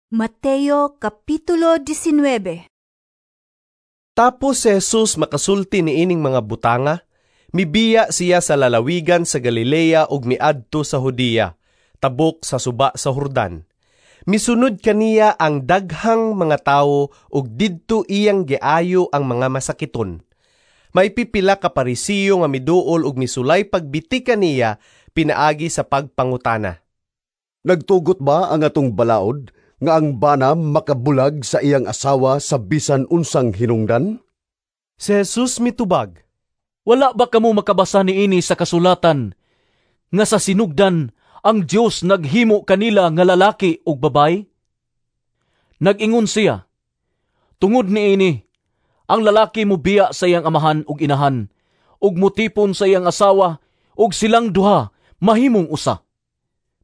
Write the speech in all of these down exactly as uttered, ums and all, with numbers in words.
Mateo Kapitulo labing-diyasnaybe. Tapos si Jesus makasulti niining mga butanga, mibiya siya sa lalawigan sa Galilea ug miadto sa Judea, tabok sa suba sa Jordan. Misunod kaniya ang daghang mga tawo ug didto iyang giayo ang mga masakiton. May pipila ka Parisiyo nga miduol ug misulay pagbiti kaniya pinaagi sa pagpangutana. Nagtugot ba ang atong balaod nga ang bana makabulag sa iyang asawa sa bisan unsang hinungdan? Si Jesus mitubag, "Wala ba kamo makabasa niini sa kasulatan nga sa sinugdan ang Dios naghimo kanila nga lalaki ug babayi? Nag-ingon siya, 'Tungod niini, ang lalaki mobiya sa iyang amahan ug inahan ug motipon sa iyang asawa ug silang duha mahimong usa.'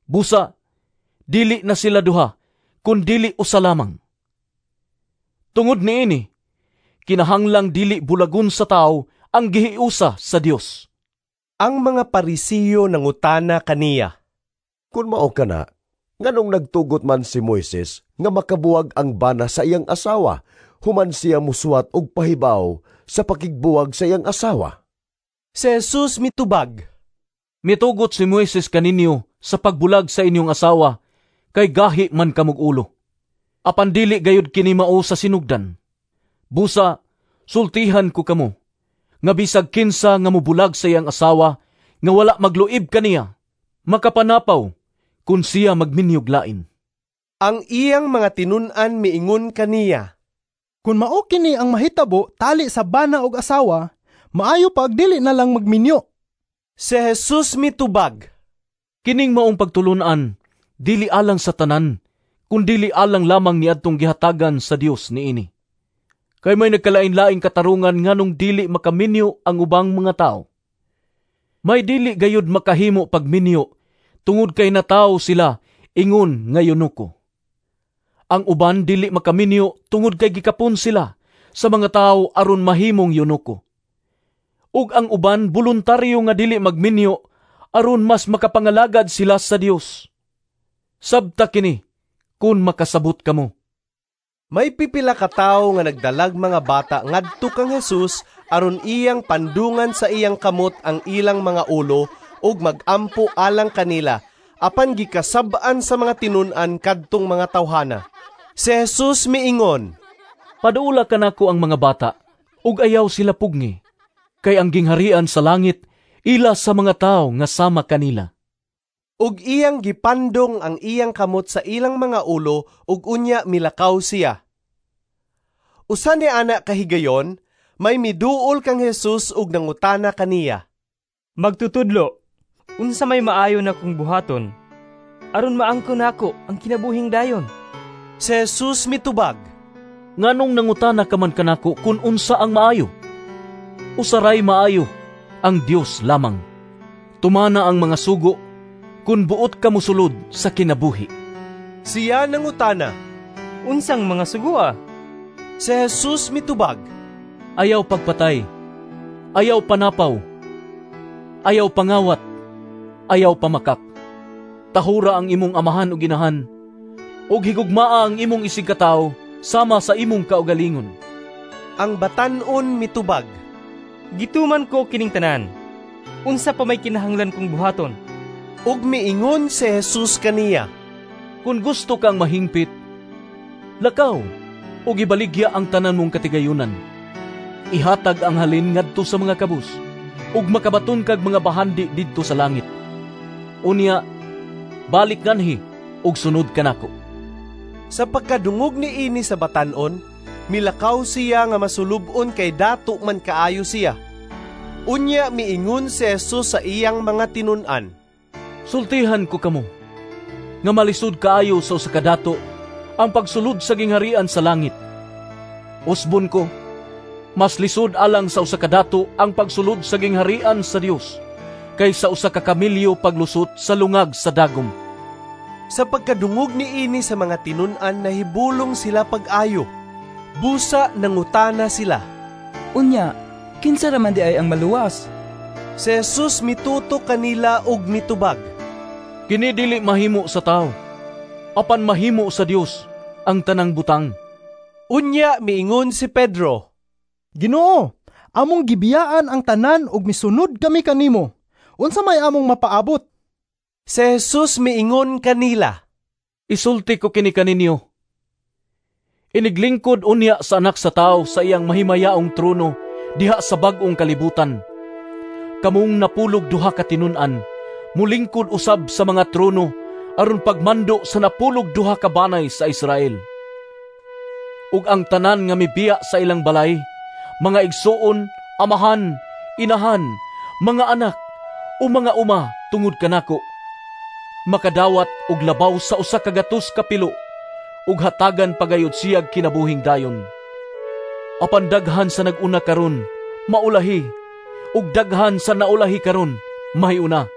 Busa, dili na sila duha, kun dili usa lamang. Tungod niini, kinahanglang dili bulagon sa tawo ang gihiusa sa Dios." Ang mga Parisiyo nangutana kaniya, "Kun mao kana, nganong nagtugot man si Moises nga makabuwag ang bana sa iyang asawa human siya musuwat og pahibaw sa pakigbuwag sa iyang asawa?" Si Jesus mitubag, "Mitugot si Moises kaninyo sa pagbulag sa inyong asawa kay gahi man kamog ulo. Apan dili gayud kini mao sa sinugdan. Busa, sultihan ko kamo, nga bisag kinsa nga mobulag sa iyang asawa nga wala magluib kaniya, makapanapaw kun siya magminyog lain." Ang iyang mga tinun-an miingon kaniya, "Kun mao kini ang mahitabo tali sa bana og asawa, maayo pa og dili na lang magminyo." Si Jesus mitubag, "Kining maong pagtulon-an dili alang sa tanan, kundili alang lamang niadtong gihatagan sa Dios niini. Kay may nagkalain-laing katarungan nganong dili makaminyo ang ubang mga tawo. May dili gayud makahimo pagminyo tungod kay natawo sila ingon nga eunuko. Ang uban dili makaminyo tungod kay gikapon sila sa mga tawo aron mahimong eunuko. Ug ang uban boluntaryo nga dili magminyo aron mas makapangalagad sila sa Dios. Sabta kini kun makasabot kamo." May pipila ka tawo nga nagdalag mga bata ngadto kang Jesus aron iyang pandungan sa iyang kamot ang ilang mga ulo ug magampo alang kanila, apan gikasab-an sa mga tinun-an kadtong mga tawhana. Si Jesus miingon, "Paduola kanako ang mga bata ug ayaw sila pugngi, kay ang gingharian sa langit ila sa mga tawo nga sama kanila." Ug iyang gipandong ang iyang kamot sa ilang mga ulo ug unya milakaw siya. Usa ni ana kahigayon, may miduol kang Jesus ug nangutana kaniya, "Magtutudlo, unsa may maayo nakong buhaton aron maangkon nako ang kinabuhing dayon?" Si Jesus mitubag, "Nganong nangutana ka man kanako kun unsa ang maayo? Usa ray maayo, ang Dios lamang. Tumana ang mga sugo kun buot ka mosulod sa kinabuhi." Siya nangutana, "Unsang mga sugoa?" Si Jesus mitubag, "Ayaw pagpatay, ayaw panapaw, ayaw pangawat, ayaw pamakak. Tahura ang imong amahan ug inahan, ug higugmaa ang imong isigkatawo sama sa imong kaugalingon." Ang batan-on mitubag, "Gituman ko kining tanan. Unsa pa may kinahanglan kong buhaton?" Ug miingon si Jesus kaniya, "Kun gusto kang mahingpit, lakaw ug ibaligya ang tanan mong katigayunan. Ihatag ang halin ngadto sa mga kabus, ug makabaton kag mga bahandi didto sa langit. Unya, balik nganhi ug sunod kanako." Sa pagkadungog niini sa batan-on, milakaw siya nga masulub-on kay dato man kaayo siya. Unya miingon si Jesus sa iyang mga tinun-an, "Sultihan ko kamo nga malisod kaayo sa usa ka dato ang pagsulod sa gingharian sa langit. Usbon ko, mas lisod alang sa usa ka dato ang pagsulod sa gingharian sa Dios kaysa usa ka kamelyo paglusot sa lungag sa dagom." Sa pagkadungog niini sa mga tinun-an, nahibulong sila pag-ayo. Busa nangutana sila, "Unya, kinsa ra man diay ang maluwas?" Si Jesus mituto kanila ug mitubag, "Kini dili mahimo sa tawo, apan mahimo sa Dios ang tanang butang. Unya miingon si Pedro, Ginoo, among gibiyaan ang tanan ug misunod kami kanimo. Unsa may among mapaabot? Si Jesus miingon kanila, Isulti ko kini kaninyo. Iniglingkod unya sa Anak sa Tawo sa iyang mahimayaong trono diha sa bag-ong kalibutan. Kamong napulog duha ka tinun-an, mulingkod usab sa mga trono aron pagmando sa napulog duha ka banay sa Israel. Ug ang tanan nga mibiya sa ilang balay, mga igsuon, amahan, inahan, mga anak, o mga uma tungod kanako, makadawat og labaw sa usa ka gatos ka pilo, ug hatagan pagayod siyag kinabuhing dayon. Apan daghan sa nag-una karon maulahi, ug daghan sa naulahi karon mahiuna.